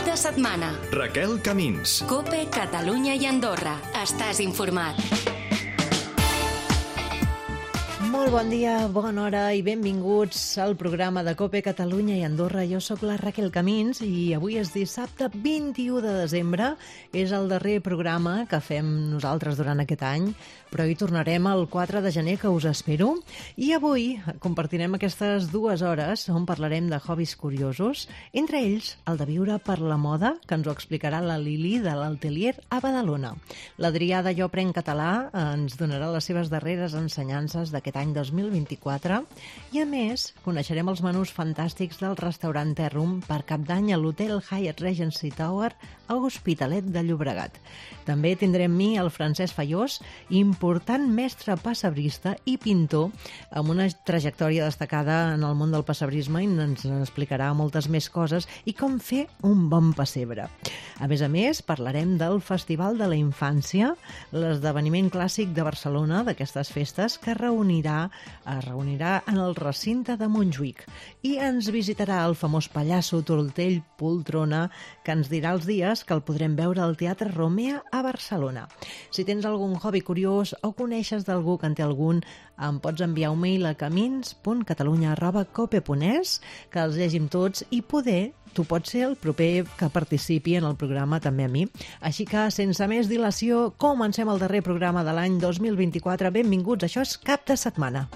de setmana. Raquel Camins. COPE Catalunya i Andorra. Estàs informat. Molt bon dia, bona hora i benvinguts al programa de COPE Catalunya i Andorra. Jo sóc la Raquel Camins i avui és dissabte 21 de desembre. És el darrer programa que fem nosaltres durant aquest any, però hi tornarem el 4 de gener, que us espero. I avui compartirem aquestes 2 hores on parlarem de hobbies curiosos, entre ells el de viure per la moda, que ens ho explicarà la Lili de l'Atelier a Badalona. L'Adrià de Jo Aprenc Català ens donarà les seves darreres ensenyances d'aquest any 2024 i, a més, coneixerem els menús fantàstics del restaurant Terrum per Cap d'Any a l'Hotel Hyatt Regency Tower a Hospitalet de Llobregat. També tindrem mi el Francesc Fallós, important mestre pessebrista i pintor amb una trajectòria destacada en el món del pessebrisme, i ens explicarà moltes més coses i com fer un bon pessebre. A més, parlarem del Festival de la Infància, l'esdeveniment clàssic de Barcelona d'aquestes festes, que es reunirà en el recinte de Montjuïc, i ens visitarà el famós pallasso Tortell Poltrona, que ens dirà els dies que el podrem veure al Teatre Romea a Barcelona. Si tens algun hobby curiós o coneixes d'algú que en té algun, em pots enviar un mail a camins.catalunya@cope.es, que els llegim tots, i poder tu pots ser el proper que participi en el programa també a mi. Així que, sense més dilació, comencem el darrer programa de l'any 2024. Benvinguts, això és Cap de Setmana.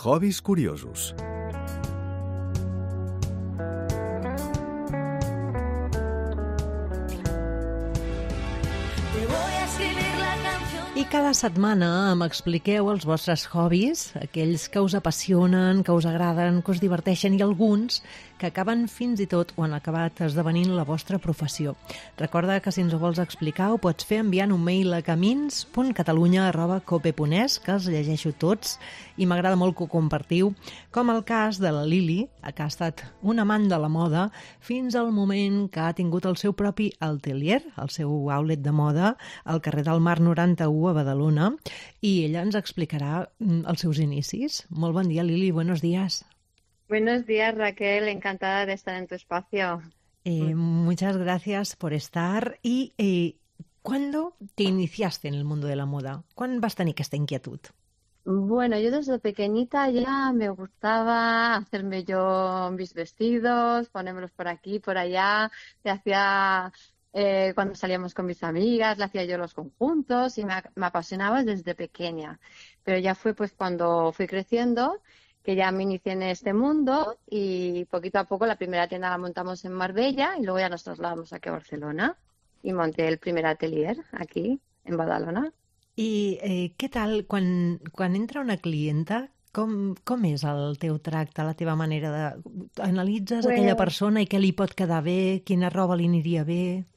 Hobbies curiosos. I cada setmana m'expliqueu els vostres hobbies, aquells que us apassionen, que us agraden, que us diverteixen, i alguns que acaben fins i tot o han acabat esdevenint la vostra professió. Recorda que si ens ho vols explicar ho pots fer enviant un mail a camins.catalunya@cope.es, que els llegeixo tots i m'agrada molt que ho compartiu, com el cas de la Lili, que ha estat un amant de la moda fins al moment que ha tingut el seu propi atelier, el seu outlet de moda, al carrer del Mar 91 a Badalona, i ella ens explicarà els seus inicis. Molt bon dia, Lili, buenos días. Buenos días, Raquel, encantada de estar en tu espacio. Muchas gracias por estar. ¿Y cuándo te iniciaste en el mundo de la moda? ¿Cuándo vas a tener esta inquietud? Bueno, yo desde pequeñita ya me gustaba hacerme yo mis vestidos, ponérmelos por aquí, por allá. Te hacía, cuando salíamos con mis amigas, le hacía yo los conjuntos y me apasionaba desde pequeña. Pero ya fue pues cuando fui creciendo que ya me inicié en este mundo, y poquito a poco la primera tienda la montamos en Marbella y luego ya nos trasladamos aquí a Barcelona y monté el primer atelier aquí en Badalona. I què tal quan entra una clienta? Com és el teu tracte, la teva manera de... Analitzes aquella persona i què li pot quedar bé, quina roba li aniria bé?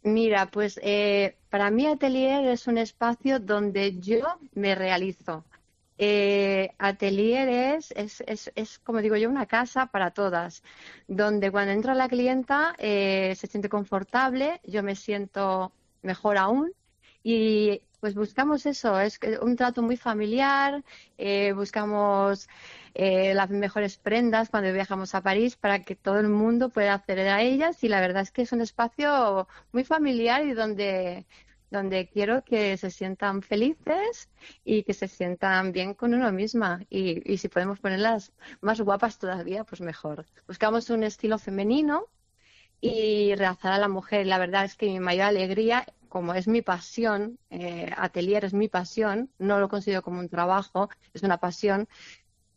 Mira, pues para mí atelier es un espacio donde yo me realizo. Atelier es, como digo yo, una casa para todas, donde cuando entra la clienta se siente confortable, yo me siento mejor aún, y pues buscamos eso, es un trato muy familiar, buscamos las mejores prendas cuando viajamos a París para que todo el mundo pueda acceder a ellas, y la verdad es que es un espacio muy familiar y donde quiero que se sientan felices y que se sientan bien con uno misma, y si podemos ponerlas más guapas todavía, pues mejor. Buscamos un estilo femenino y realzar a la mujer. La verdad es que mi mayor alegría, como es mi pasión, atelier es mi pasión, no lo considero como un trabajo, es una pasión,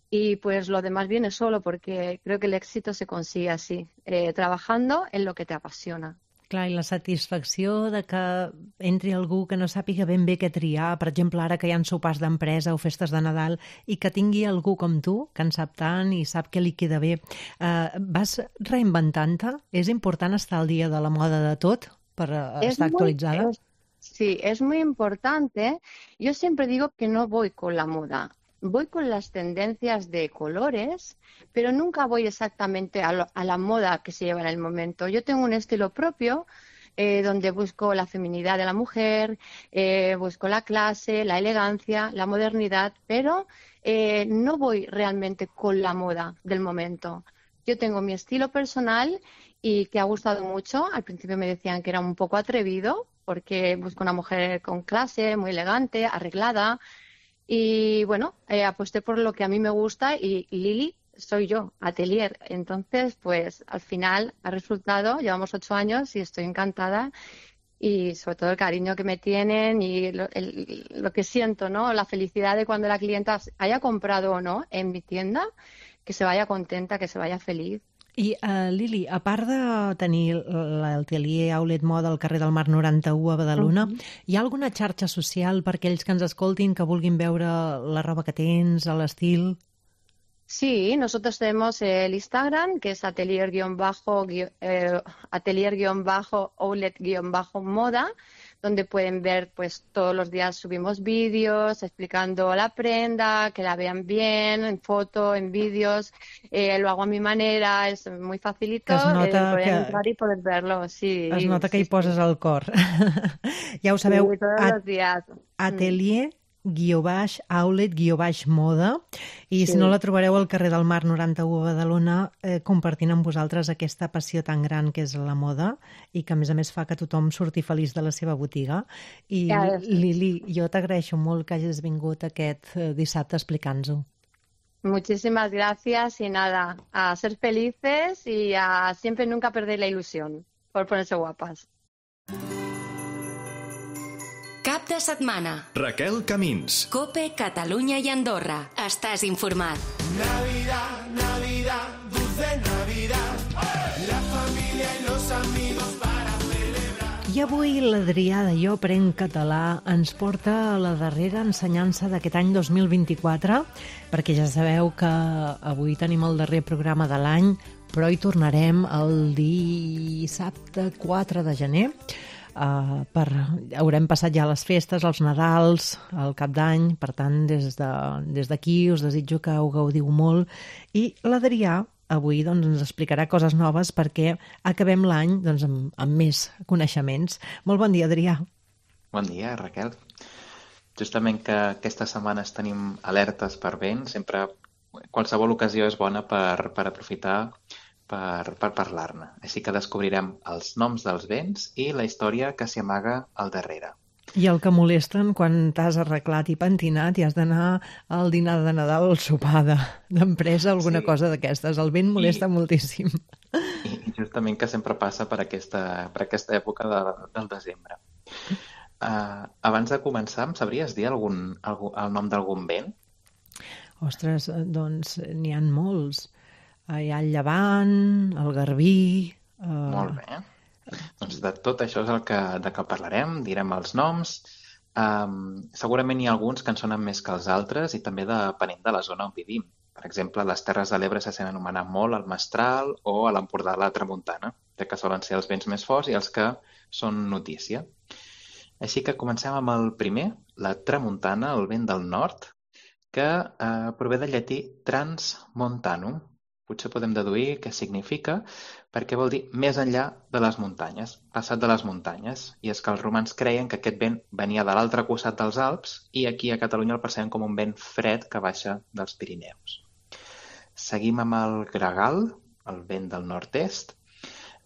y pues lo demás viene solo, porque creo que el éxito se consigue así, trabajando en lo que te apasiona. Clar, i la satisfacció de que entri algú que no sàpiga ben bé què triar, per exemple, ara que hi ha sopars d'empresa o festes de Nadal, i que tingui algú com tu, que en sap tant i sap què li queda bé. Vas reinventant-te? És important estar al dia de la moda de tot per estar actualitzada? Sí, es muy importante. Yo siempre digo que no voy con la moda. Voy con las tendencias de colores, pero nunca voy exactamente a la moda que se lleva en el momento. Yo tengo un estilo propio donde busco la feminidad de la mujer, busco la clase, la elegancia, la modernidad, pero no voy realmente con la moda del momento. Yo tengo mi estilo personal y que ha gustado mucho. Al principio me decían que era un poco atrevido porque busco una mujer con clase, muy elegante, arreglada. Y bueno, aposté por lo que a mí me gusta y Lili soy yo, Atelier. Entonces, pues al final ha resultado, llevamos 8 años y estoy encantada. Y sobre todo el cariño que me tienen y lo que siento, ¿no? La felicidad de cuando la clienta haya comprado o no en mi tienda, que se vaya contenta, que se vaya feliz. I, Lili, a part de tenir l'atelier Outlet Moda al carrer del Mar 91 a Badalona, hi ha alguna xarxa social per aquells que ens escoltin que vulguin veure la roba que tens, l'estil? Sí, nosotros tenemos el Instagram, que es atelier-outlet-moda, donde pueden ver, pues todos los días subimos vídeos explicando la prenda, que la vean bien, en foto, en vídeos. Lo hago a mi manera, es muy facilito. Que es nota poder que entrar y poder verlo, sí. es nota que sí, hi poses sí. el cor. Ja ho sabeu, Sí, todos los días. atelier-outlet-moda, i Sí. si no la trobareu al carrer del Mar 91 a Badalona, compartint amb vosaltres aquesta passió tan gran que és la moda i que a més fa que tothom surti feliç de la seva botiga. I Ja, sí. Lili, jo t'agraeixo molt que hagis vingut aquest dissabte explicant-nos-ho. Muchísimas gracias y nada, a ser felices y a siempre nunca perder la ilusión por ponerse guapas. Cap de setmana. Raquel Camins. Cope, Catalunya i Andorra. Estàs informat. Navidad, Navidad, dulce Navidad, la familia y los amigos para celebrar. I avui l'Adrià de Jo Prenc Català ens porta a la darrera ensenyança d'aquest any 2024, perquè ja sabeu que avui tenim el darrer programa de l'any, però hi tornarem el dissabte 4 de gener. Haurem passat ja les festes, els Nadals, el Cap d'Any, per tant, des d'aquí us desitjo que ho gaudiu molt. I l'Adrià avui doncs, ens explicarà coses noves perquè acabem l'any doncs, amb més coneixements. Molt bon dia, Adrià. Bon dia, Raquel. Justament que aquestes setmanes tenim alertes per vent, sempre qualsevol ocasió és bona per aprofitar per parlar-ne. Així que descobrirem els noms dels vents i la història que s'hi amaga al darrere. I el que molesten quan t'has arreglat i pentinat i has d'anar al dinar de Nadal o al sopar d'empresa, alguna cosa d'aquestes. El vent molesta moltíssim. I justament que sempre passa per aquesta època del desembre. Abans de començar, em sabries dir el nom d'algun vent? Ostres, doncs n'hi ha molts. Hi ha el llevant, el garbí... Molt bé. Doncs de tot això és de què parlarem, direm els noms. Segurament hi ha alguns que en sonen més que els altres i també depenent de la zona on vivim. Per exemple, a les Terres de l'Ebre se sent anomenar molt el mestral o a l'Empordà la tramuntana, ja que solen ser els vents més forts i els que són notícia. Així que comencem amb el primer, la tramuntana, el vent del nord, que prové del llatí transmontanum. Potser podem deduir què significa, perquè vol dir més enllà de les muntanyes, passat de les muntanyes. I és que els romans creien que aquest vent venia de l'altre costat dels Alps i aquí a Catalunya el percebem com un vent fred que baixa dels Pirineus. Seguim amb el gregal, el vent del nord-est.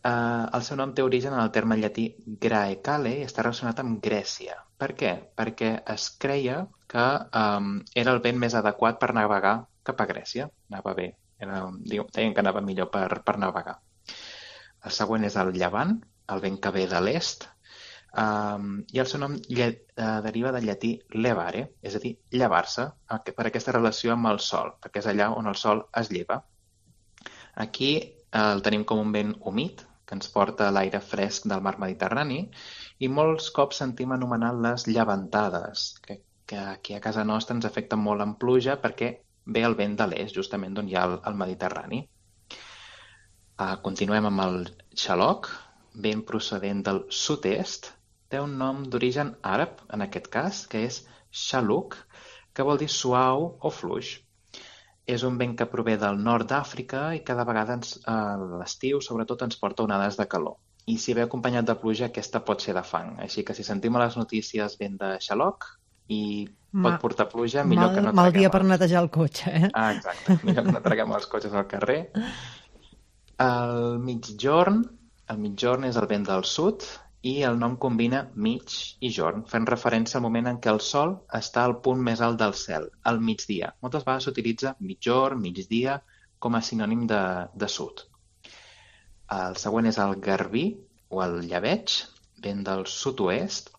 El seu nom té origen en el terme llatí graecale i està relacionat amb Grècia. Per què? Perquè es creia que era el vent més adequat per navegar cap a Grècia. Anava bé. Deien que anava millor per navegar. El següent és el llevant, el vent que ve de l'est, i el seu nom deriva del llatí levare, és a dir, llevar-se, per aquesta relació amb el sol, perquè és allà on el sol es lleva. Aquí el tenim com un vent humit, que ens porta l'aire fresc del mar Mediterrani, i molts cops sentim anomenar les llevantades, que aquí a casa nostra ens afecten molt en pluja perquè ve el vent de l'est, justament d'on hi ha el Mediterrani. Continuem amb el xaloc, vent procedent del sud-est, té un nom d'origen àrab, en aquest cas, que és xaluc, que vol dir suau o fluix. és un vent que prové del nord d'Àfrica i cada vegada a l'estiu, sobretot, ens porta onades de calor. I si ve acompanyat de pluja, aquesta pot ser de fang. Així que si sentim a les notícies vent de xaloc i pot portar pluja, millor que no mal traguem dia per netejar el cotxe, eh? Exacte, millor que no traguem els cotxes al carrer. El migjorn és el vent del sud i el nom combina mig i jorn, fent referència al moment en què el sol està al punt més alt del cel, al migdia. Moltes vegades s'utilitza migjorn, migdia, com a sinònim de sud. El següent és el garbí, o el llebeig, vent del sud-oest.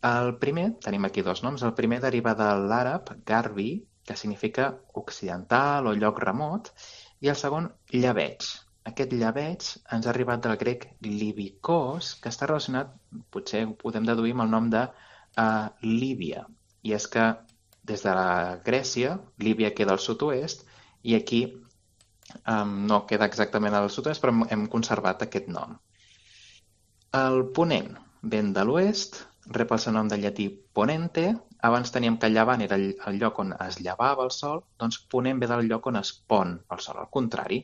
El primer, tenim aquí dos noms, el primer deriva de l'àrab garbi, que significa occidental o lloc remot, i el segon, llebeig. Aquest llebeig ens ha arribat del grec libikos, que està relacionat, potser ho podem deduir amb el nom de Líbia. I és que des de la Grècia, Líbia queda al sud-oest, i aquí no queda exactament al sud-oest, però hem conservat aquest nom. El ponent, vent de l'oest, rep el seu nom de llatí ponente. Abans teníem que llevant era el lloc on es llevava el sol, doncs ponent ve del lloc on es pon el sol. Al contrari,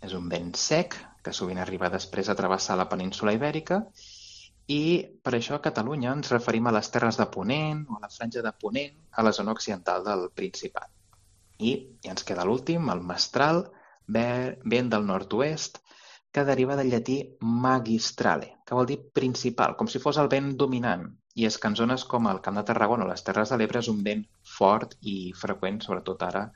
és un vent sec, que sovint arriba després a travessar la península Ibèrica, i per això a Catalunya ens referim a les terres de Ponent o a la franja de Ponent, a la zona occidental del Principat. I ens queda l'últim, el mestral, vent del nord-oest, que deriva del llatí magistrale, que vol dir principal, com si fos el vent dominant. I és que en zones com el Camp de Tarragona o les Terres de l'Ebre és un vent fort i freqüent, sobretot ara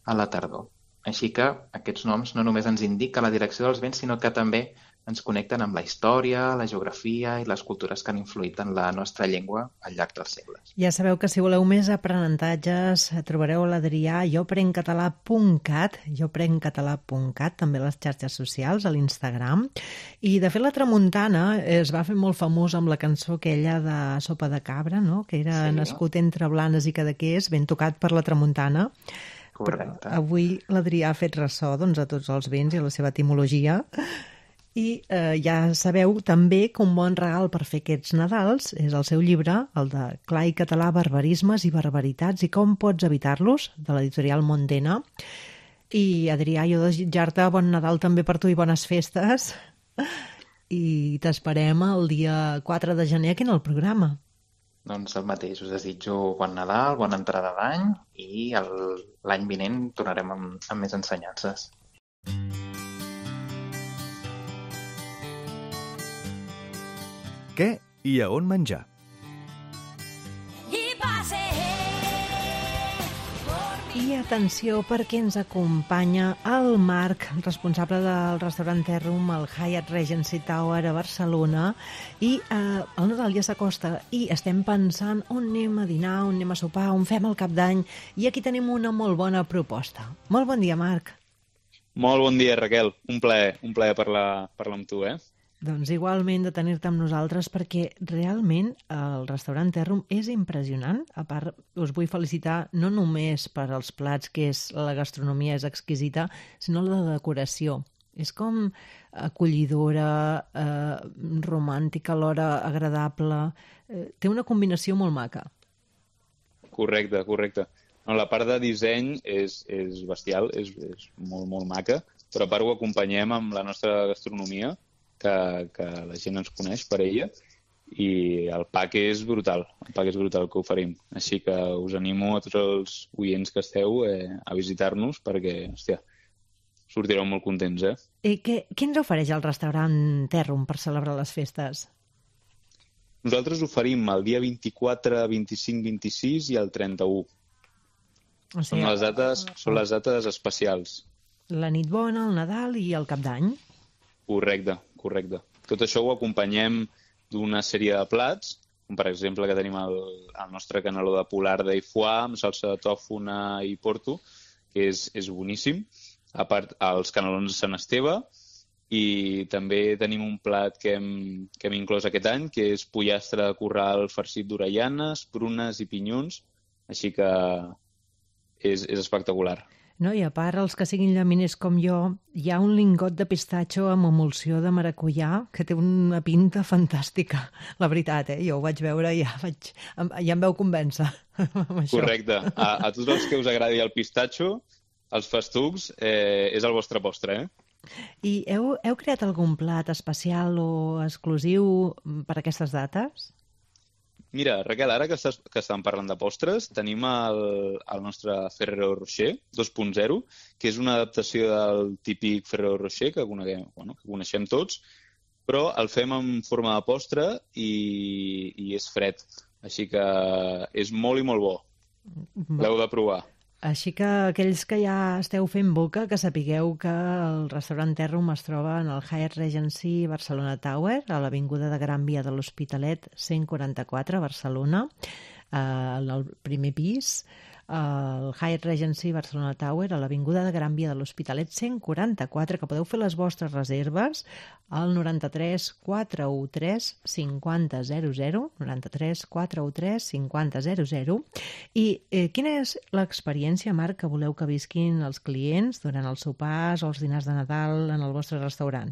a la tardor. Així que aquests noms no només ens indiquen la direcció dels vents, sinó que també ens connecten amb la història, la geografia i les cultures que han influït en la nostra llengua al llarg dels segles. Ja sabeu que si voleu més aprenentatges trobareu l'Adrià a joprencatalà.cat, també a les xarxes socials, a l'Instagram. I de fet la tramuntana es va fer molt famós amb la cançó aquella de Sopa de Cabra, no? Que era nascut entre Blanes i Cadaqués, ben tocat per la tramuntana. Correcte. Però avui l'Adrià ha fet ressò a tots els vents i a la seva etimologia. I ja sabeu també que un bon regal per fer aquests Nadals és el seu llibre, el de Clar i català, barbarismes i barbaritats i com pots evitar-los, de l'editorial Mondena. I Adrià, jo desitjar-te bon Nadal també per tu i bones festes. I t'esperem el dia 4 de gener aquí en el programa. Doncs el mateix, us desitjo bon Nadal, bona entrada d'any i l'any vinent tornarem amb més ensenyances. Què i a on menjar? I atenció perquè ens acompanya el Marc, responsable del restaurant Terrum, el Hyatt Regency Tower a Barcelona, i el Nadal ja s'acosta i estem pensant on anem a dinar, on anem a sopar, on fem el cap d'any, i aquí tenim una molt bona proposta. Molt bon dia, Marc. Molt bon dia, Raquel. Un plaer parlar amb tu, Doncs igualment de tenir-te amb nosaltres perquè realment el restaurant Terrum és impressionant. A part, us vull felicitar no només per als plats, que la gastronomia és exquisita, sinó la decoració. És com acollidora, romàntica, alhora agradable. Té una combinació molt maca. Correcte. No, la part de disseny és bestial, és molt, molt maca, però a part ho acompanyem amb la nostra gastronomia, que la gent ens coneix per ella, i el pack és brutal que oferim. Així que us animo a tots els oients que esteu a visitar-nos perquè, hòstia, sortireu molt contents, I què ens ofereix el restaurant Terrum per celebrar les festes? Nosaltres oferim el dia 24, 25, 26 i el 31. O sigui, són les dates especials. La nit bona, el Nadal i el cap d'any. Correcte. Tot això ho acompanyem d'una sèrie de plats, com per exemple que tenim el nostre caneló de polarda i foie amb salsa de tòfona i porto, que és boníssim. A part, els canelons de Sant Esteve, i també tenim un plat que hem inclòs aquest any, que és pollastre de corral farcit d'orellanes, prunes i pinyons, així que és espectacular. No, i a part, els que siguin llaminers com jo, hi ha un lingot de pistatxo amb emulsió de maracuyà que té una pinta fantàstica. La veritat, jo ho vaig veure i ja em veu convèncer. Correcte. A tots els que us agradi el pistatxo, Els festucs és el vostre postre, I heu creat algun plat especial o exclusiu per aquestes dates? Mira, Raquel, ara que estàvem parlant de postres, tenim el nostre Ferrero Rocher 2.0, que és una adaptació del típic Ferrero Rocher que coneixem tots, però el fem en forma de postre i és fred. Així que és molt i molt bo. L'heu de provar. Així que aquells que ja esteu fent boca, que sapigueu que el restaurant Terrum es troba en el Hyatt Regency Barcelona Tower, a l'Avinguda de Gran Via de l'Hospitalet 144, Barcelona, en el primer pis. El Hyatt Regency Barcelona Tower, a l'Avinguda de Gran Via de l'Hospitalet 144, que podeu fer les vostres reserves al 93 413 5000, 93 413 5000. I quina és l'experiència, Marc, que voleu que visquin els clients durant els sopars o els dinars de Nadal en el vostre restaurant?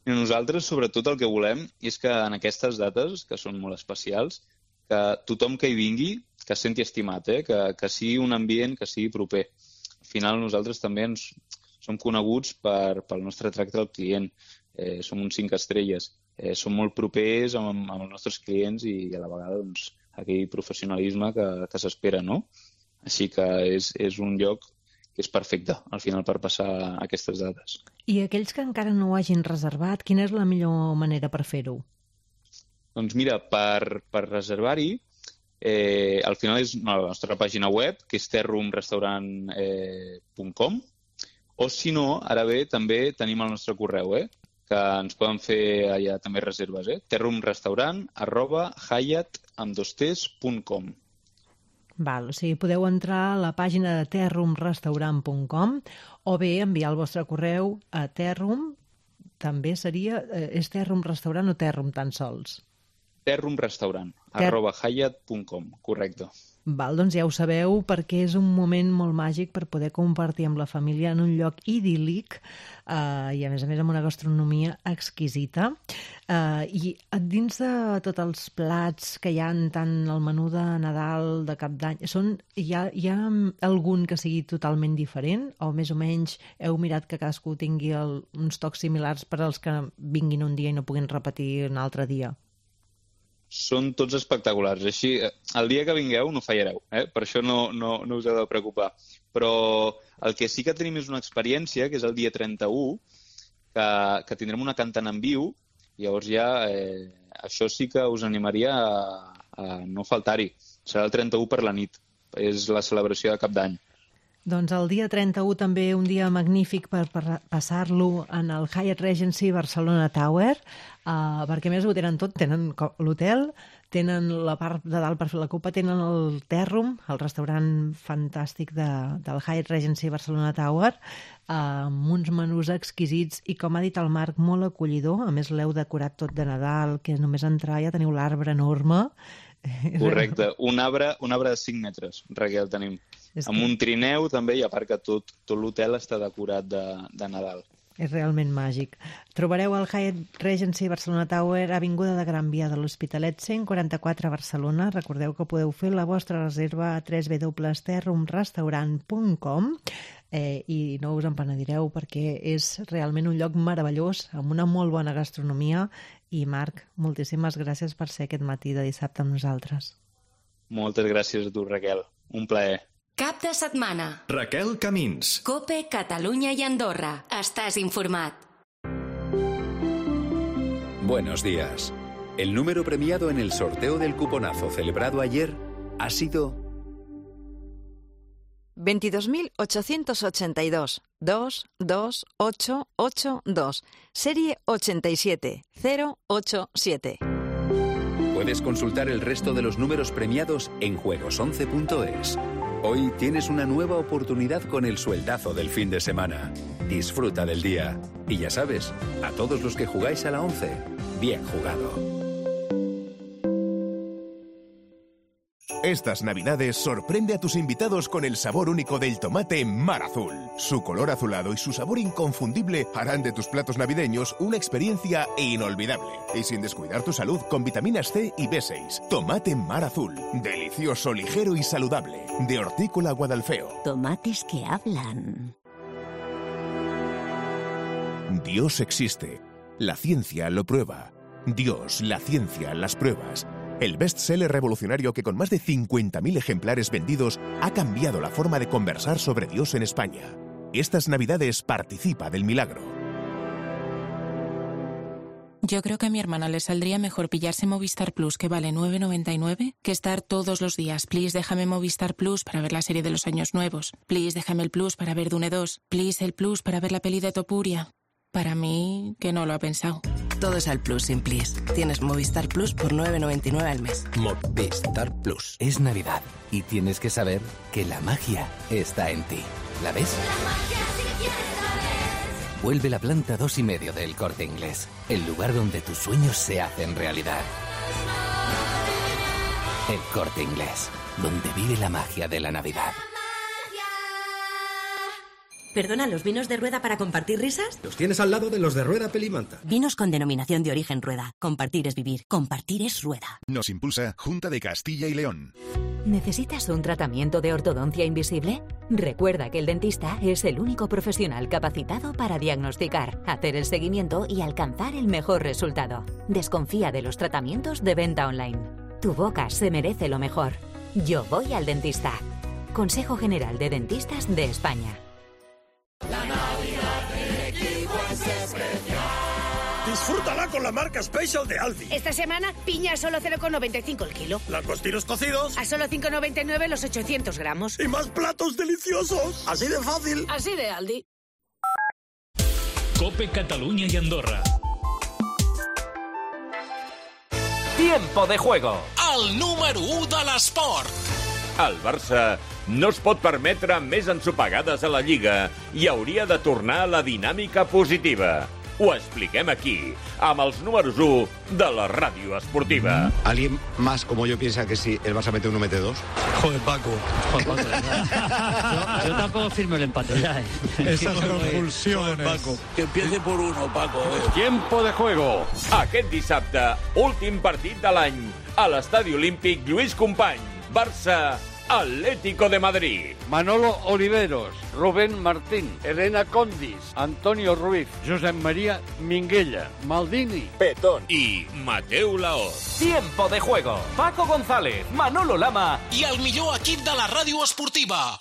Nosaltres, sobretot, el que volem és que en aquestes dates, que són molt especials, que tothom que hi vingui, que es senti estimat, que sigui un ambient que sigui proper. Al final nosaltres també som coneguts pel nostre tracte al client. Som uns 5 estrelles. Som molt propers amb els nostres clients i a la vegada aquell professionalisme que s'espera, no? Així que és un lloc que és perfecte al final per passar aquestes dates. I aquells que encara no ho hagin reservat, quina és la millor manera per fer-ho? Doncs mira, per reservar-hi, al final és la nostra pàgina web, que és terrumrestaurant.com, o si no, ara bé, també tenim el nostre correu, que ens poden fer allà també reserves, terrumrestaurant@hyatt.com. Val, o sigui, podeu entrar a la pàgina de terrumrestaurant.com o bé enviar el vostre correu a Terrum, també seria, és Terrum Restaurant o Terrum tan sols? terrumrestaurant@hyatt.com, correcte. Val, doncs ja ho sabeu, perquè és un moment molt màgic per poder compartir amb la família en un lloc idíl·lic i, a més amb una gastronomia exquisita. I dins de tots els plats que hi ha tant al menú de Nadal, de Cap d'Any, hi ha algun que sigui totalment diferent? O més o menys heu mirat que cadascú tingui uns tocs similars per als que vinguin un dia i no puguin repetir un altre dia? Són tots espectaculars. Així, el dia que vingueu no fallareu, per això no us heu de preocupar. Però el que sí que tenim és una experiència, que és el dia 31, que tindrem una cantant en viu, i llavors ja això sí que us animaria a no faltar-hi. Serà el 31 per la nit, és la celebració de Cap d'Any. Doncs el dia 31 també un dia magnífic per passar-lo en el Hyatt Regency Barcelona Tower, perquè més ho tenen tot, tenen l'hotel, tenen la part de dalt per fer la copa, tenen el Terrum, el restaurant fantàstic del Hyatt Regency Barcelona Tower, amb uns menús exquisits i, com ha dit el Marc, molt acollidor. A més, l'heu decorat tot de Nadal, que només entrar ja teniu l'arbre enorme. Correcte, un arbre de 5 metres, Raquel, tenim. Amb un trineu també, i a part que tot l'hotel està decorat de Nadal. És realment màgic. Trobareu el Hyatt Regency Barcelona Tower, Avinguda de Gran Via de l'Hospitalet 144 Barcelona. Recordeu que podeu fer la vostra reserva a www.terrumrestaurant.com i no us en penedireu perquè és realment un lloc meravellós, amb una molt bona gastronomia. I Marc, moltíssimes gràcies per ser aquest matí de dissabte amb nosaltres. Moltes gràcies a tu, Raquel. Un plaer. Cap de setmana. Raquel Camins. COPE, Catalunya y Andorra. Estás informat. Buenos días. El número premiado en el sorteo del cuponazo celebrado ayer ha sido 22.882 22882, serie 87087. Puedes consultar el resto de los números premiados en juegos11.es. Hoy tienes una nueva oportunidad con el sueldazo del fin de semana. Disfruta del día. Y ya sabes, a todos los que jugáis a la 11, bien jugado. Estas Navidades sorprende a tus invitados con el sabor único del tomate Mar Azul. Su color azulado y su sabor inconfundible harán de tus platos navideños una experiencia inolvidable. Y sin descuidar tu salud con vitaminas C y B6. Tomate Mar Azul. Delicioso, ligero y saludable. De Hortícola Guadalfeo. Tomates que hablan. Dios existe. La ciencia lo prueba. Dios, la ciencia, las pruebas. El bestseller revolucionario que con más de 50.000 ejemplares vendidos ha cambiado la forma de conversar sobre Dios en España. Estas Navidades participa del milagro. Yo creo que a mi hermana le saldría mejor pillarse Movistar Plus, que vale 9,99, que estar todos los días. Please, déjame Movistar Plus para ver la serie de los años nuevos. Please, déjame el Plus para ver Dune 2. Please, el Plus para ver la peli de Topuria. Para mí, que no lo ha pensado. Todo es al Plus sin Please. Tienes Movistar Plus por 9,99 al mes. Movistar Plus. Es Navidad y tienes que saber que la magia está en ti. ¿La ves? La magia si quieres saber. Vuelve la planta 2,5 del Corte Inglés. El lugar donde tus sueños se hacen realidad. El Corte Inglés. Donde vive la magia de la Navidad. Perdona, ¿los vinos de Rueda para compartir risas? Los tienes al lado de los de Rueda Pelimanta. Vinos con denominación de origen Rueda. Compartir es vivir. Compartir es Rueda. Nos impulsa Junta de Castilla y León. ¿Necesitas un tratamiento de ortodoncia invisible? Recuerda que el dentista es el único profesional capacitado para diagnosticar, hacer el seguimiento y alcanzar el mejor resultado. Desconfía de los tratamientos de venta online. Tu boca se merece lo mejor. Yo voy al dentista. Consejo General de Dentistas de España. La Navidad del equipo es especial. Disfrútala con la marca Special de Aldi. Esta semana, piña a solo 0,95 el kilo. Langostinos cocidos a solo 5,99 los 800 gramos. Y más platos deliciosos. Así de fácil. Así de Aldi. COPE Catalunya i Andorra. Tiempo de juego. El número 1 de l'esport. El Barça no es pot permetre més ensopegades a la Lliga i hauria de tornar a la dinàmica positiva. Ho expliquem aquí, amb els números 1 de la ràdio esportiva. ¿Alguien más como yo piensa que si el Barça mete uno, mete dos? Joder, Paco. Yo tampoco firmo el empate ya, Esas convulsiones. Paco. Que empiece por uno, Paco. Tiempo de juego. Aquest dissabte, últim partit de l'any, a l'Estadi Olímpic Lluís Companys. Barça, Atlético de Madrid. Manolo Oliveros, Rubén Martín, Elena Condis, Antonio Ruiz, Josep María Minguella, Maldini, Petón y Mateu Laoz. Tiempo de juego. Paco González, Manolo Lama i el millor equip de la ràdio esportiva.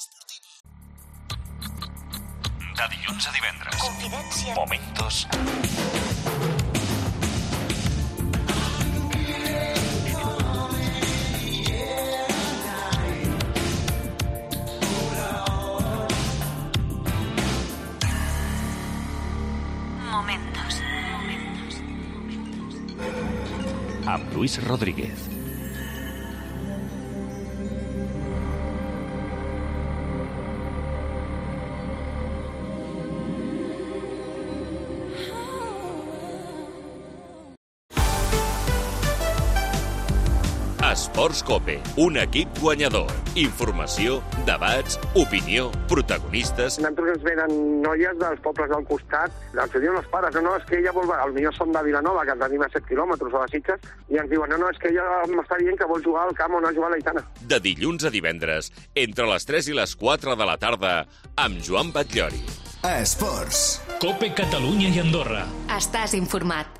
De dilluns a divendres. Confidència. Momentos. Amb Luis Rodríguez. Esports COPE, un equip guanyador. Informació, debats, opinió, protagonistes. Nosaltres ens venen noies dels pobles del costat, ens ho diuen els pares, no, és que ella vol... Potser són de Vilanova, que tenim a 7 quilòmetres, o a Sitges, i ens diuen, no, és que ella m'està dient que vol jugar al camp on ha jugat l'Aitana. De dilluns a divendres, entre les 3 i les 4 de la tarda, amb Joan Batllori. Esports. COPE Catalunya i Andorra. Estàs informat.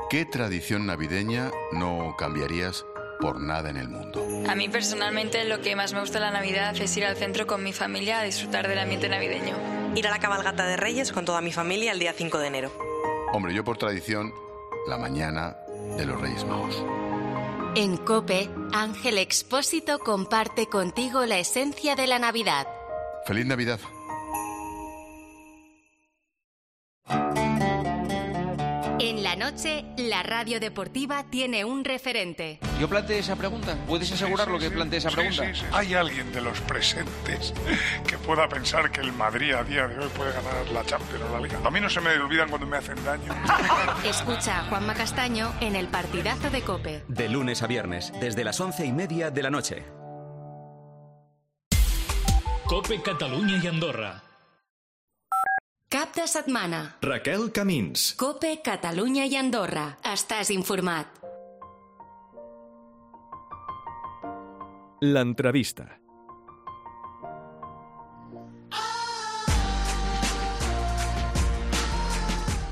¿Qué tradición navideña no cambiarías por nada en el mundo? A mí personalmente lo que más me gusta de la Navidad es ir al centro con mi familia a disfrutar del ambiente navideño. Ir a la cabalgata de Reyes con toda mi familia el día 5 de enero. Hombre, yo por tradición, la mañana de los Reyes Magos. En COPE, Ángel Expósito comparte contigo la esencia de la Navidad. ¡Feliz Navidad! En la noche, la radio deportiva tiene un referente. Yo planteé esa pregunta. ¿Puedes asegurarlo que planteé esa pregunta? Sí. ¿Hay alguien de los presentes que pueda pensar que el Madrid a día de hoy puede ganar la Champions o la Liga? A mí no se me olvidan cuando me hacen daño. Escucha a Juanma Castaño en El Partidazo de COPE. De lunes a viernes, desde las 11:30 de la noche. COPE Catalunya i Andorra. Cap de setmana. Raquel Camins. COPE Catalunya i Andorra. Estàs informat. L'entrevista.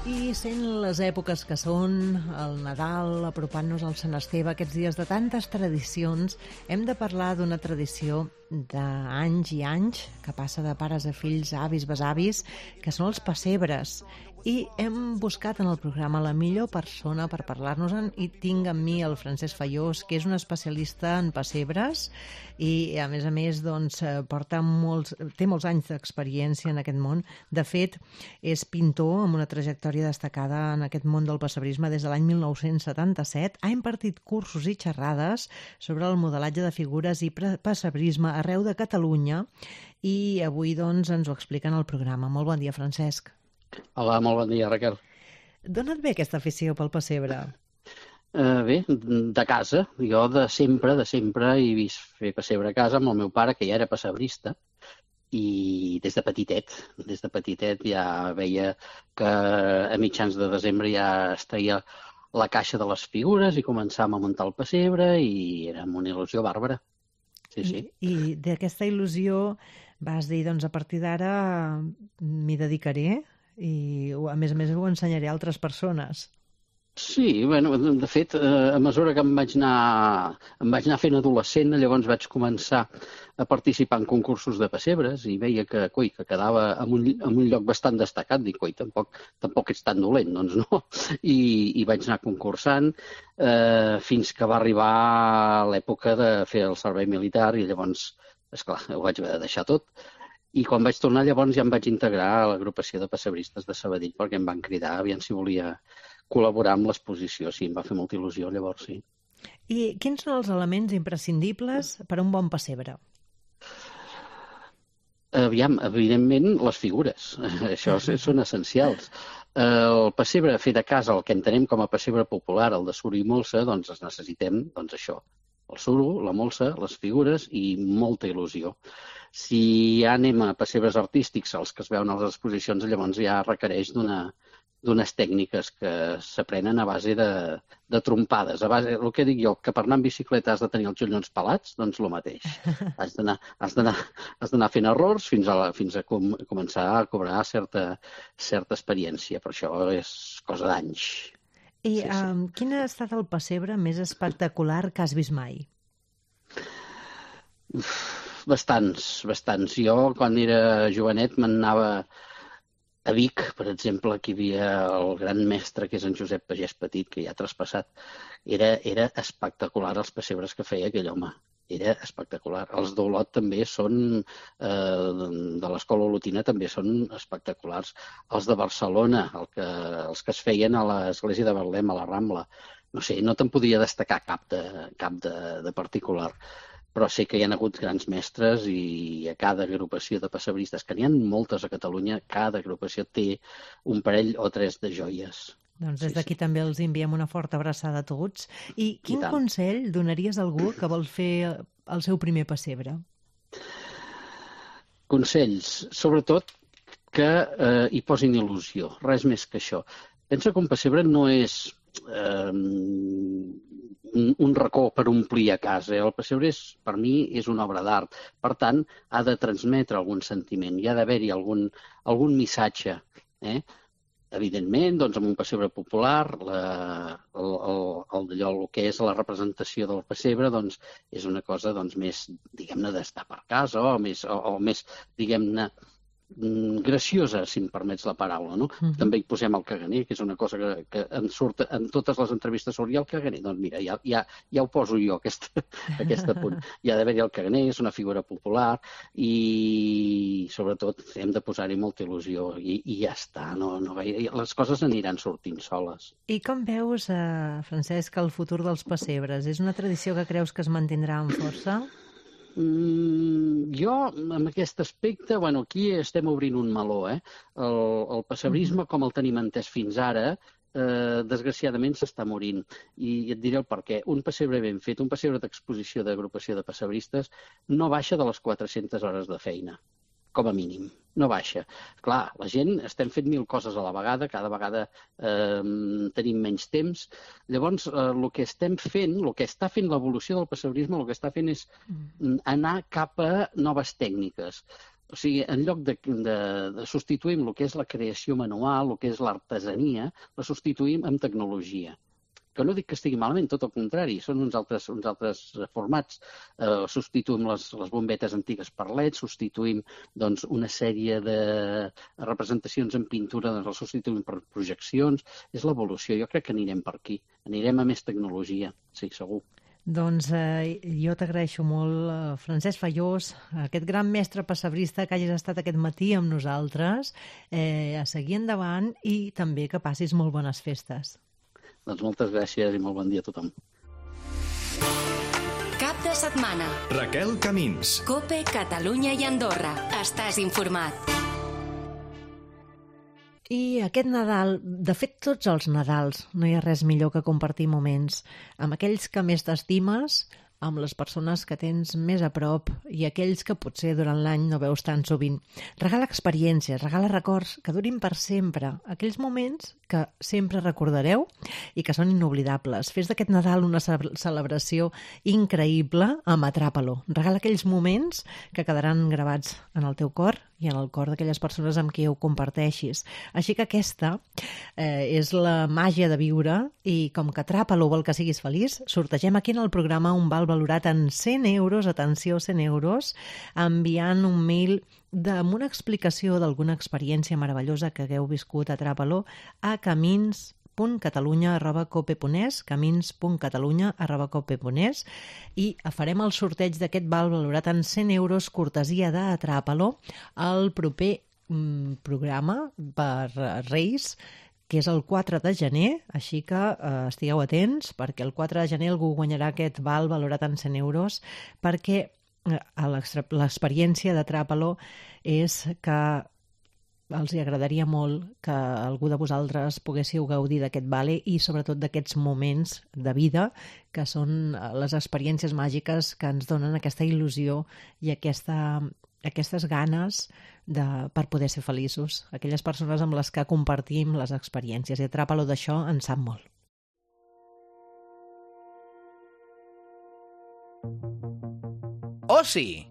I sent les èpoques que són, el Nadal, apropant-nos al Sant Esteve, aquests dies de tantes tradicions, hem de parlar d'una tradició d'anys i anys, que passa de pares a fills, avis, besavis, que són els pessebres. I hem buscat en el programa la millor persona per parlar-nos-en i tinc amb mi el Francesc Fallós, que és un especialista en pessebres i, a més, doncs, té molts anys d'experiència en aquest món. De fet, és pintor amb una trajectòria destacada en aquest món del pessebrisme des de l'any 1977. Ha impartit cursos i xerrades sobre el modelatge de figures i pessebrisme arreu de Catalunya i avui, doncs, ens ho explica en el programa. Molt bon dia, Francesc. Hola, molt bon dia, Raquel. D'on et ve aquesta afició pel pessebre? Bé, de casa. Jo de sempre he vist fer pessebre a casa amb el meu pare, que ja era pessebrista, i des de petitet ja veia que a mitjans de desembre ja es treia la caixa de les figures i començàvem a muntar el pessebre i era una il·lusió bàrbara. Sí. I d'aquesta il·lusió vas dir, doncs a partir d'ara m'hi dedicaré i a més ho ensenyaré a altres persones. Sí, bueno, de fet, a mesura que em vaig anar fent adolescent, llavors vaig començar a participar en concursos de pessebres i veia que quedava en un lloc bastant destacat. Dic, tampoc ets tan dolent, doncs no. I vaig anar concursant fins que va arribar l'època de fer el servei militar i llavors, esclar, ho vaig haver de deixar tot. I quan vaig tornar, llavors ja em vaig integrar a l'agrupació de pessebristes de Sabadell perquè em van cridar, aviam si volia col·laborar amb l'exposició. Sí, em va fer molta il·lusió, llavors sí. I quins són els elements imprescindibles per a un bon pessebre? Aviam, evidentment, les figures. Això són essencials. El pessebre fet a casa, el que entenem com a pessebre popular, el de suro i molsa, doncs necessitem això. El suro, la molsa, les figures i molta il·lusió. Si ja anem a pessebres artístics, els que es veuen a les exposicions, llavors ja requereix d'unes tècniques que s'aprenen a base de trompades. A base, el que dic jo, que per anar en bicicleta has de tenir els genollons pelats, doncs el mateix. Has d'anar fent errors fins a començar a cobrar certa experiència, però això és cosa d'anys. I quin ha estat el pessebre més espectacular que has vist mai? Bastants. Jo, quan era jovenet, me'n anava a Vic, per exemple, que hi havia el gran mestre, que és en Josep Pagès Petit, que ja ha traspassat. Era espectacular els pessebres que feia aquell home. Era espectacular. Els d'Olot també són, de l'escola olotina, també són espectaculars. Els de Barcelona, els que es feien a l'església de Betlem, a la Rambla. No sé, no te'n podia destacar cap de particular. Però sé que hi ha hagut grans mestres i a cada agrupació de pessebristes, que n'hi ha moltes a Catalunya, cada agrupació té un parell o tres de joies. Doncs des d'aquí també els enviem una forta abraçada a tots. I quin consell donaries a algú que vol fer el seu primer pessebre? Consells, sobretot que hi posin il·lusió, res més que això. Pensa que un pessebre no és un racó per omplir a casa. El pessebre, per mi, és una obra d'art. Per tant, ha de transmetre algun sentiment, hi ha d'haver-hi algun missatge. Evidentment, doncs, amb un pessebre popular, el que és la representació del pessebre doncs, és una cosa més, diguem-ne, d'estar per casa o més, diguem-ne, graciosa, si em permets la paraula, no? També hi posem el caganer, que és una cosa que em surt en totes les entrevistes sobre el caganer. Doncs mira, ja ho poso jo, aquest punt. Hi ha d'haver-hi el caganer, és una figura popular i, sobretot, hem de posar-hi molta il·lusió i ja està. Les coses aniran sortint soles. I com veus, Francesc, el futur dels pessebres? És una tradició que creus que es mantindrà amb força? Jo, en aquest aspecte, aquí estem obrint un meló. El pessebrisme, com el tenim entès fins ara, desgraciadament s'està morint. I et diré el per què. Un pessebre ben fet, un pessebre d'exposició d'agrupació de pessebristes, no baixa de les 400 hores de feina, com a mínim. No baixa. Clar, la gent estem fent 1000 coses a la vegada, cada vegada tenim menys temps. Llavors, el que estem fent, el que està fent l'evolució del pessebrisme, el que està fent és anar cap a noves tècniques. O sigui, en lloc de substituir el que és la creació manual, el que és l'artesania, la substituïm amb tecnologia. Que no dic que estigui malament, tot el contrari, són uns altres formats. Substituïm les bombetes antigues per LED, substituïm una sèrie de representacions en pintura, les substituïm per projeccions. És l'evolució, jo crec que anirem per aquí. Anirem a més tecnologia, sí, segur. Doncs jo t'agraeixo molt, Francesc Fallós, aquest gran mestre pessebrista que hagis estat aquest matí amb nosaltres, a seguir endavant i també que passis molt bones festes. Doncs moltes gràcies i molt bon dia a tothom. Cap de setmana. Raquel Camins. COPE, Catalunya i Andorra. Estàs informat. I aquest Nadal, de fet tots els Nadals, no hi ha res millor que compartir moments amb aquells que més t'estimes, amb les persones que tens més a prop i aquells que potser durant l'any no veus tan sovint. Regala experiències, regala records que durin per sempre, aquells moments que sempre recordareu i que són inoblidables. Fes d'aquest Nadal una celebració increïble amb Atrapa-lo. Regala aquells moments que quedaran gravats en el teu cor i en el cor d'aquelles persones amb qui ho comparteixis. Així que aquesta és la màgia de viure i com que Atrapa-lo vol que siguis feliç, sortegem aquí en el programa un val valorat en 100 euros, atenció, 100 euros, enviant un mail amb una explicació d'alguna experiència meravellosa que hagueu viscut a Atrapa-lo a camins.catalunya@cope.es, camins.catalunya@cope.es, i farem el sorteig d'aquest val valorat en 100 euros cortesia d'Atrapa-lo al proper programa per Reis, que és el 4 de gener, així que estigueu atents, perquè el 4 de gener algú guanyarà aquest val valorat en 100 euros, perquè l'experiència d'Atrapa-lo és que els agradaria molt que algú de vosaltres poguéssiu gaudir d'aquest vale i sobretot d'aquests moments de vida que són les experiències màgiques que ens donen aquesta il·lusió i aquestes ganes per poder ser feliços. Aquelles persones amb les que compartim les experiències. I Atrapa-lo d'això en sap molt. Osi!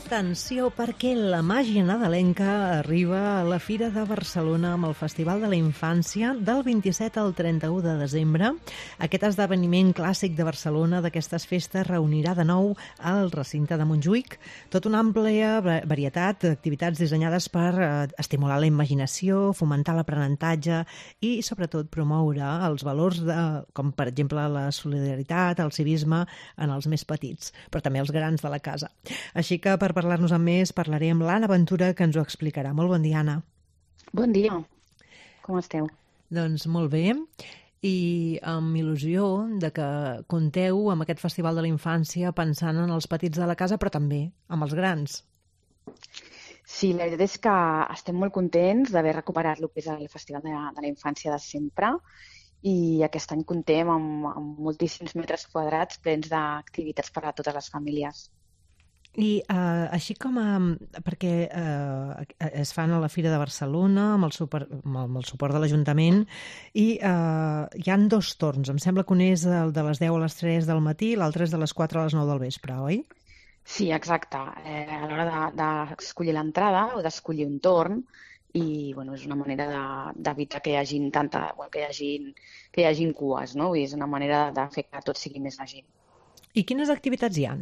Atenció, perquè la màgia nadalenca arriba a la Fira de Barcelona amb el Festival de la Infància del 27 al 31 de desembre. Aquest esdeveniment clàssic de Barcelona d'aquestes festes reunirà de nou al recinte de Montjuïc tota una àmplia varietat d'activitats dissenyades per estimular la imaginació, fomentar l'aprenentatge i, sobretot, promoure els valors com, per exemple, la solidaritat, el civisme en els més petits, però també els grans de la casa. Així que, per parlar-nos amb més, parlaré amb l'Anna Ventura, que ens ho explicarà. Molt bon dia, Anna. Bon dia. Com esteu? Doncs molt bé. I amb il·lusió de que compteu amb aquest Festival de la Infància pensant en els petits de la casa, però també amb els grans. Sí, la veritat és que estem molt contents d'haver recuperat el que és el Festival de la Infància de sempre i aquest any comptem amb moltíssims metres quadrats plens d'activitats per a totes les famílies. I així com perquè es fan a la Fira de Barcelona amb el suport de l'Ajuntament i hi han dos torns, em sembla que un és el de les 10 a les 3 del matí i l'altre és de les 4 a les 9 del vespre, oi? Sí, exacte. A l'hora d'escollir l'entrada o d'escollir un torn i és una manera d'evitar que hi hagin que hi hagin cues, no? És una manera de fer que tot sigui més àgil. I quines activitats hi ha?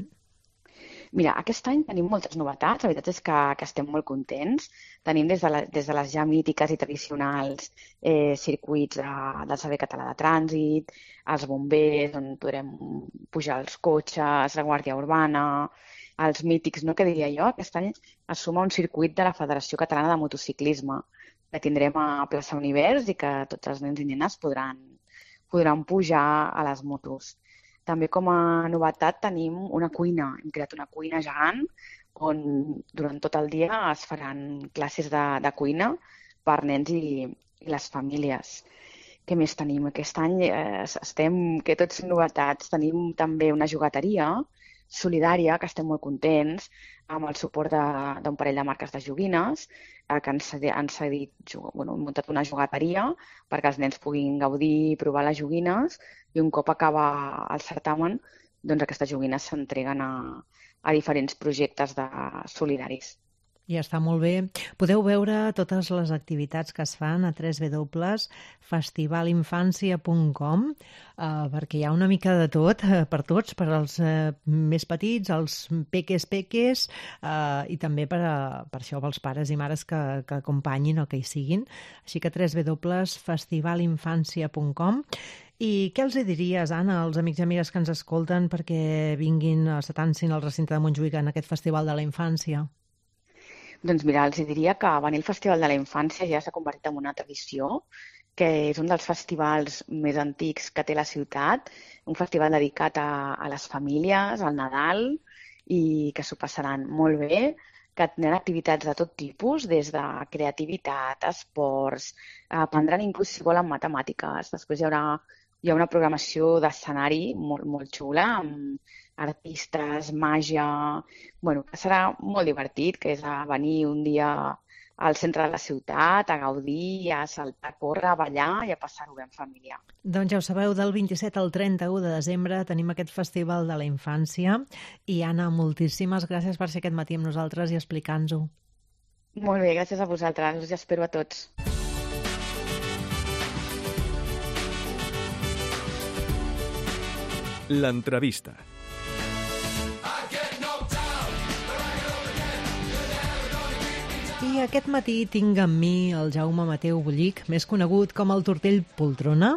Mira, aquest any tenim moltes novetats, la veritat és que estem molt contents. Tenim des de les ja mítiques i tradicionals circuits del Servei Català de Trànsit, els bombers, on podrem pujar els cotxes, la Guàrdia Urbana, els mítics, no? Que diria jo, aquest any es suma un circuit de la Federació Catalana de Motociclisme, que tindrem a Plaça Univers i que tots els nens i nenes podran pujar a les motos. També com a novetat tenim una cuina. Hem creat una cuina gegant on durant tot el dia es faran classes de cuina per nens i les famílies. Què més tenim? Aquest any que tots són novetats. Tenim també una jugateria solidària, que estem molt contents, amb el suport d'un parell de marques de joguines que han muntat una jugateria perquè els nens puguin gaudir i provar les joguines, i un cop acaba el certamen, doncs aquestes joguines s'entreguen a diferents projectes solidaris. I està molt bé. Podeu veure totes les activitats que es fan a www.festivalinfancia.com perquè hi ha una mica de tot per tots, per als més petits, els peques, i també per això pels pares i mares que acompanyin o que hi siguin. Així que www.festivalinfancia.com. I què els diries, Anna, als amics i amigues que ens escolten perquè vinguin, s'atansin al recinte de Montjuïc en aquest Festival de la Infància? Doncs mira, els diria que venir al Festival de la Infància ja s'ha convertit en una tradició, que és un dels festivals més antics que té la ciutat, un festival dedicat a les famílies, al Nadal, i que s'ho passaran molt bé, que tindran activitats de tot tipus, des de creativitat, esports, aprendran inclús si volen matemàtiques. Després hi ha una programació d'escenari molt, molt xula, amb artistes, màgia, que serà molt divertit, que és venir un dia al centre de la ciutat, a gaudir, a saltar, a córrer, a ballar i a passar-ho bé en família. Doncs ja ho sabeu, del 27 al 31 de desembre tenim aquest Festival de la Infància. I Anna, moltíssimes gràcies per ser aquest matí amb nosaltres i explicar-nos-ho. Molt bé, gràcies a vosaltres. Us espero a tots. L'entrevista. I aquest matí tinc amb mi el Jaume Mateu Bullic, més conegut com el Tortell Poltrona,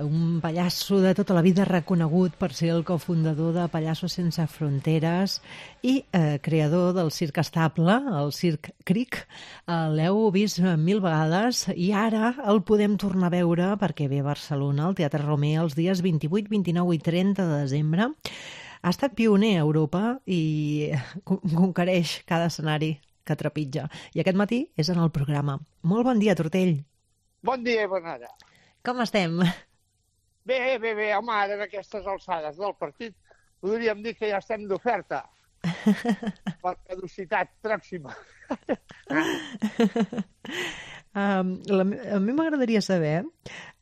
un pallasso de tota la vida reconegut per ser el cofundador de Pallassos Sense Fronteres i creador del Circ Estable, el Circ Cric. L'heu vist 1000 vegades i ara el podem tornar a veure perquè ve a Barcelona, al Teatre Romer, els dies 28, 29 i 30 de desembre. Ha estat pioner a Europa i conquereix cada escenari que trepitja. I aquest matí és en el programa. Molt bon dia, Tortell. Bon dia, Bernada. Com estem? Bé, home, ara en aquestes alçades del partit podríem dir que ja estem d'oferta per caducitat pròxima. A mi m'agradaria saber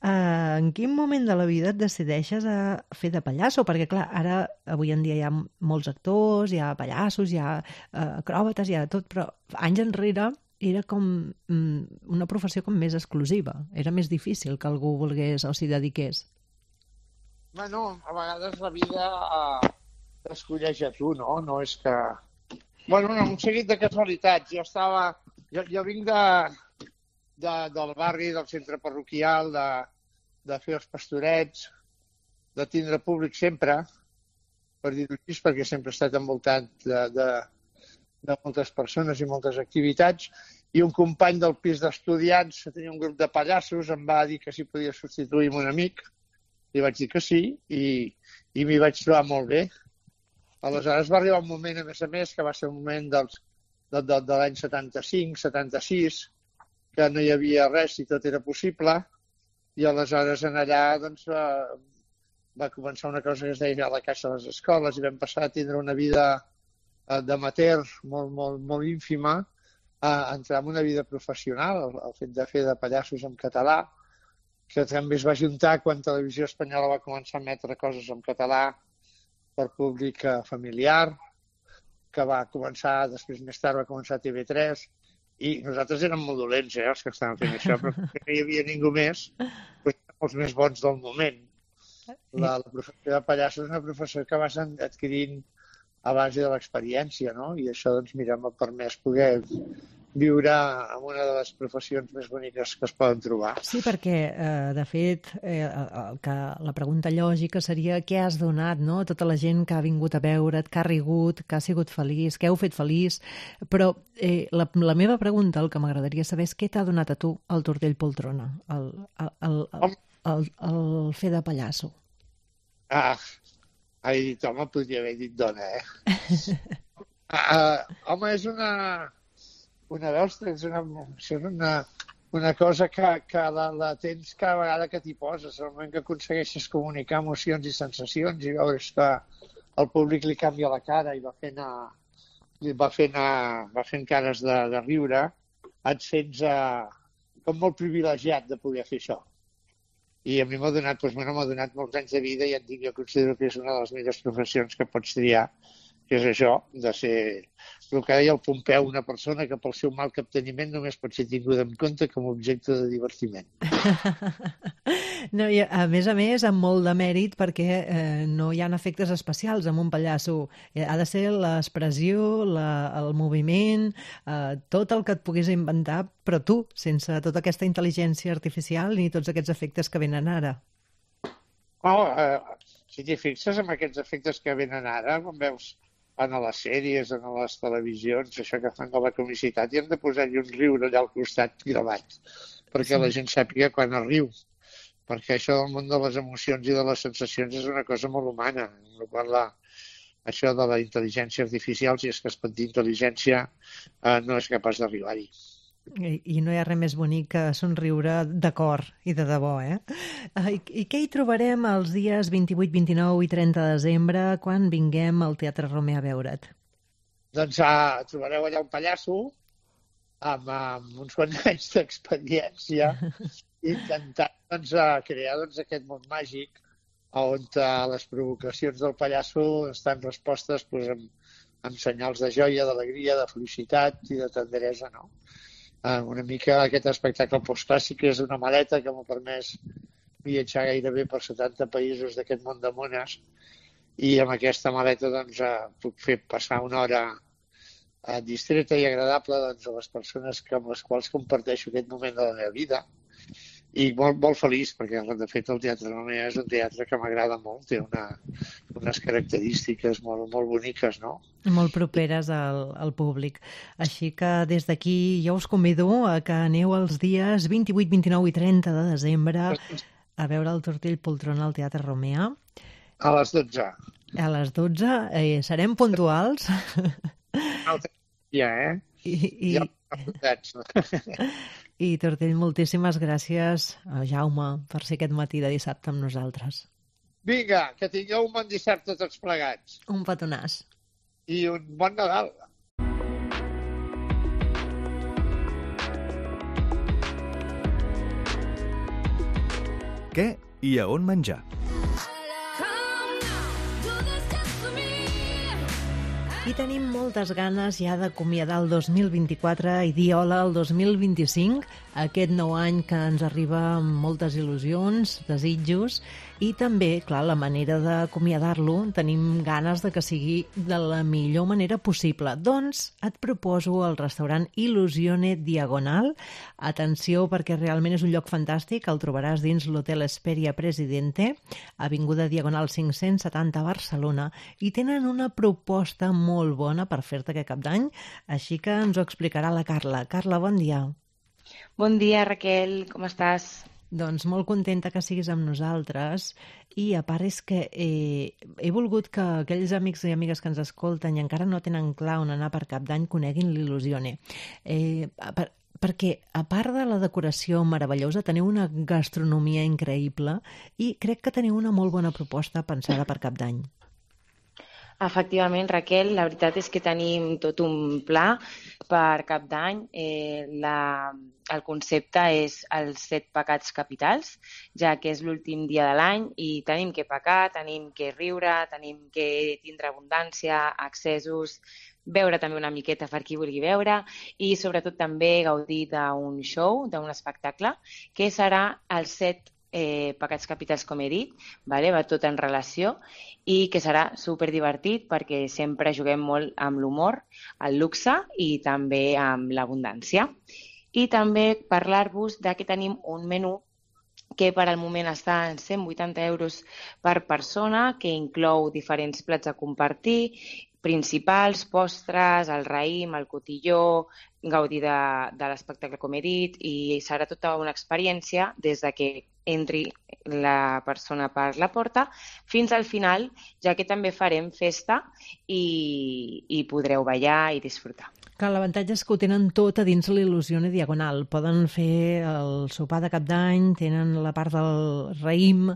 en quin moment de la vida et decideixes a fer de pallasso, perquè clar, ara avui en dia hi ha molts actors, hi ha pallassos, hi ha acròbates, hi ha tot, però anys enrere era com una professió com més exclusiva. Era més difícil que algú volgués o s'hi dediqués. Bueno, a vegades la vida t'escolleix a tu, no? No és que... Bueno, un seguit de casualitats. Jo vinc del barri, del centre parroquial, de fer els pastorets, de tindre públic sempre, per dir-ho així, perquè sempre he estat envoltat de moltes persones i moltes activitats, i un company del pis d'estudiants que tenia un grup de pallassos em va dir que si podia substituir un amic, i vaig dir que sí, i m'hi vaig trobar molt bé. Aleshores va arribar un moment, a més, que va ser un moment de l'any 75, 76, que no hi havia res i tot era possible, i aleshores en allà doncs, va començar una cosa que es deia la caixa de les escoles i vam passar a tindre una vida d'amateur molt ínfima a entrar en una vida professional, el fet de fer de pallassos en català, que també es va juntar quan Televisió Espanyola va començar a emetre coses en català per públic familiar, que va començar, després més tard va començar a TV3, I nosaltres érem molt dolents, els que estàvem fent això, però no hi havia ningú més, doncs érem els més bons del moment. La professió de pallasso és una professió que vas adquirint a base de l'experiència, no? I això, doncs, mira, m'ha permès poder viure en una de les professions més boniques que es poden trobar. Sí, perquè, de fet, la pregunta lògica seria què has donat, no? A tota la gent que ha vingut a veure't, que ha rigut, que ha sigut feliç, que heu fet feliç, però la meva pregunta, el que m'agradaria saber és què t'ha donat a tu el Tortell Poltrona, el fer de pallasso? He dit home, podria haver dit dona, home, és una cosa que la tens cada vegada que t'hi poses, al moment que aconsegueixes comunicar emocions i sensacions i veus que al públic li canvia la cara i va fent cares de riure, et sents com molt privilegiat de poder fer això. I a mi m'ha donat molts anys de vida i jo considero que és una de les millors professions que pots triar, que és això, de ser el que deia el Pompeu, una persona que pel seu mal capteniment només pot ser tinguda en compte com a objecte de divertiment. No, i a més, amb molt de mèrit, perquè no hi ha efectes especials en un pallasso. Ha de ser l'expressió, el moviment, tot el que et puguis inventar, però tu, sense tota aquesta intel·ligència artificial ni tots aquests efectes que venen ara. Si t'hi fixes en aquests efectes que venen ara, quan veus en les sèries, en les televisions, això que fan de la comicitat, i hem de posar-hi un riure allà al costat gravat, perquè la gent sàpiga quan es riu. Perquè això del món de les emocions i de les sensacions és una cosa molt humana. Això de la intel·ligència artificial, si és que es pot dir intel·ligència, no és capaç d'arribar-hi. I no hi ha res més bonic que somriure de cor i de debò, I què hi trobarem els dies 28, 29 i 30 de desembre quan vinguem al Teatre Romea a veure't? Doncs trobareu allà un pallasso amb uns quants anys d'experiència intentant crear aquest món màgic on les provocacions del pallasso estan respostes amb senyals de joia, d'alegria, de felicitat i de tenderesa, no? Una mica aquest espectacle postclàssic és una maleta que m'ha permès viatjar gairebé per 70 països d'aquest món de mones i amb aquesta maleta puc fer passar una hora distreta i agradable a les persones amb les quals comparteixo aquest moment de la meva vida i molt, molt feliç perquè de fet el Teatre Romea és un teatre que m'agrada molt, té unes característiques molt, molt boniques, no? Molt properes al públic. Així que des d'aquí jo us convido a que aneu els dies 28, 29 i 30 de desembre a veure el Tortell Poltrona al Teatre Romea. A les 12. A les 12. Serem puntuals. Ja, Ja apuntats. I Tortell, moltíssimes gràcies, Jaume, per ser aquest matí de dissabte amb nosaltres. Vinga, que tingueu un bon dissabte tots plegats. Un petonàs. I un bon Nadal. Què i a on menjar? I tenim moltes ganes ja d'acomiadar el 2024 i dir hola al 2025, aquest nou any que ens arriba amb moltes il·lusions, desitjos, i també, clar, la manera d'acomiadar-lo, tenim ganes de que sigui de la millor manera possible. Doncs et proposo el restaurant Illusione Diagonal. Atenció, perquè realment és un lloc fantàstic, el trobaràs dins l'Hotel Hesperia Presidente, avinguda Diagonal 570 a Barcelona, i tenen una proposta molt bona per fer-te aquest cap d'any, així que ens ho explicarà la Carla. Carla, bon dia. Bon dia, Raquel, com estàs? Doncs molt contenta que siguis amb nosaltres i a part és que he volgut que aquells amics i amigues que ens escolten i encara no tenen clar on anar per cap d'any coneguin l'Illusione. Perquè a part de la decoració meravellosa teniu una gastronomia increïble i crec que teniu una molt bona proposta pensada per cap d'any. Efectivament, Raquel, la veritat és que tenim tot un pla per cap d'any. El concepte és els 7 pecats capitals, ja que és l'últim dia de l'any i tenim que pecar, tenim que riure, tenim que tindre abundància, accessos, veure també una miqueta per qui vulgui veure i sobretot també gaudir d'un show, d'un espectacle, que serà els 7 pecats capitals, com he dit, vale? Va tot en relació i que serà superdivertit perquè sempre juguem molt amb l'humor, el luxe i també amb l'abundància. I també parlar-vos que tenim un menú que per al moment està en 180 euros per persona, que inclou diferents plats a compartir, principals, postres, el raïm, el cotilló, gaudir de l'espectacle, com he dit, i serà tota una experiència des de que entri la persona per la porta fins al final, ja que també farem festa i podreu ballar i disfrutar. Clar, l'avantatge és que ho tenen tot a dins l'Il·lusione Diagonal. Poden fer el sopar de cap d'any, tenen la part del raïm,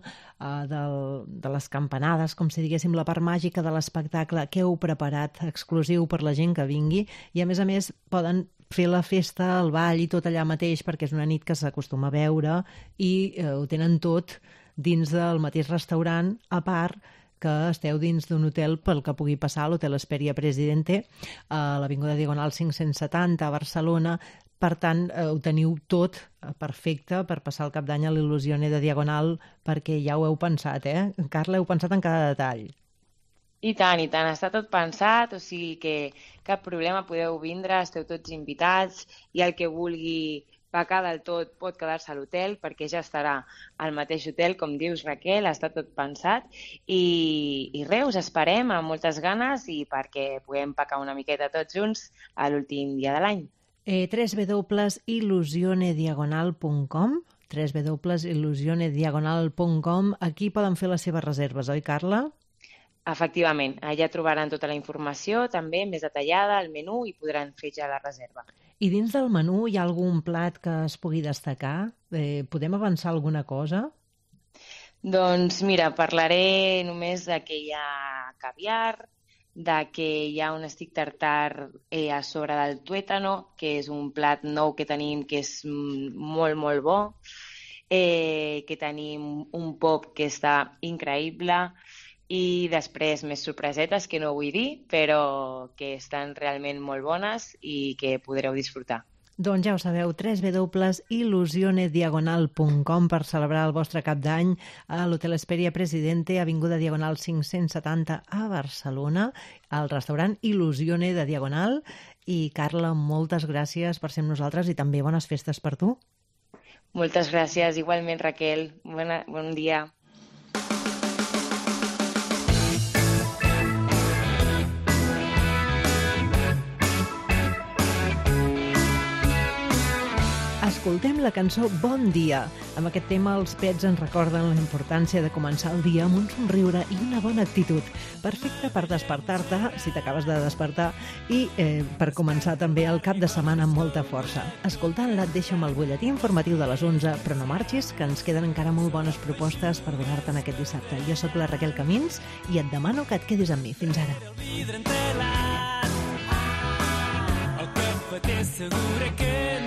de les campanades, com si diguéssim, la part màgica de l'espectacle que heu preparat exclusiu per la gent que vingui, i a més poden fer la festa, el ball i tot allà mateix, perquè és una nit que s'acostuma a veure i ho tenen tot dins del mateix restaurant, a part que esteu dins d'un hotel pel que pugui passar, l'Hotel Hesperia Presidente, a l'Avinguda Diagonal 570 a Barcelona. Per tant, ho teniu tot perfecte per passar el cap d'any a l'Il·lusione de Diagonal, perquè ja ho heu pensat, Carla, heu pensat en cada detall. I tant, està tot pensat, o sigui que cap problema, podeu vindre, esteu tots invitats, i el que vulgui pecar del tot pot quedar-se a l'hotel, perquè ja estarà al mateix hotel, com dius, Raquel, està tot pensat, i res, us esperem amb moltes ganes i perquè puguem pecar una miqueta tots junts a l'últim dia de l'any. www.illusionediagonal.com www.illusionediagonal.com. Aquí poden fer les seves reserves, oi, Carla? Efectivament, allà trobaran tota la informació, també més detallada, el menú, i podran fer ja la reserva. I dins del menú hi ha algun plat que es pugui destacar? Podem avançar alguna cosa? Doncs mira, parlaré només de que hi ha caviar, de que hi ha un stick tartar a sobre del tuétano, que és un plat nou que tenim que és molt, molt bo, que tenim un pop que està increïble, i després més sorpresetes que no vull dir, però que estan realment molt bones i que podreu disfrutar. Doncs ja ho sabeu, www.illusionediagonal.com per celebrar el vostre cap d'any a l'Hotel Hesperia Presidente, Avinguda Diagonal 570 a Barcelona, al restaurant Il·lusione de Diagonal. I Carla, moltes gràcies per ser amb nosaltres i també bones festes per tu. Moltes gràcies, igualment, Raquel. Bon dia. Escoltem la cançó Bon Dia. Amb aquest tema els pets ens recorden la importància de començar el dia amb un somriure i una bona actitud. Perfecte per despertar-te, si t'acabes de despertar, i per començar també el cap de setmana amb molta força. Escoltant-la et deixo amb el butlletí informatiu de les 11, però no marxis, que ens queden encara molt bones propostes per donar-te en aquest dissabte. Jo sóc la Raquel Camins i et demano que et quedis amb mi. Fins ara. El cafeter segura que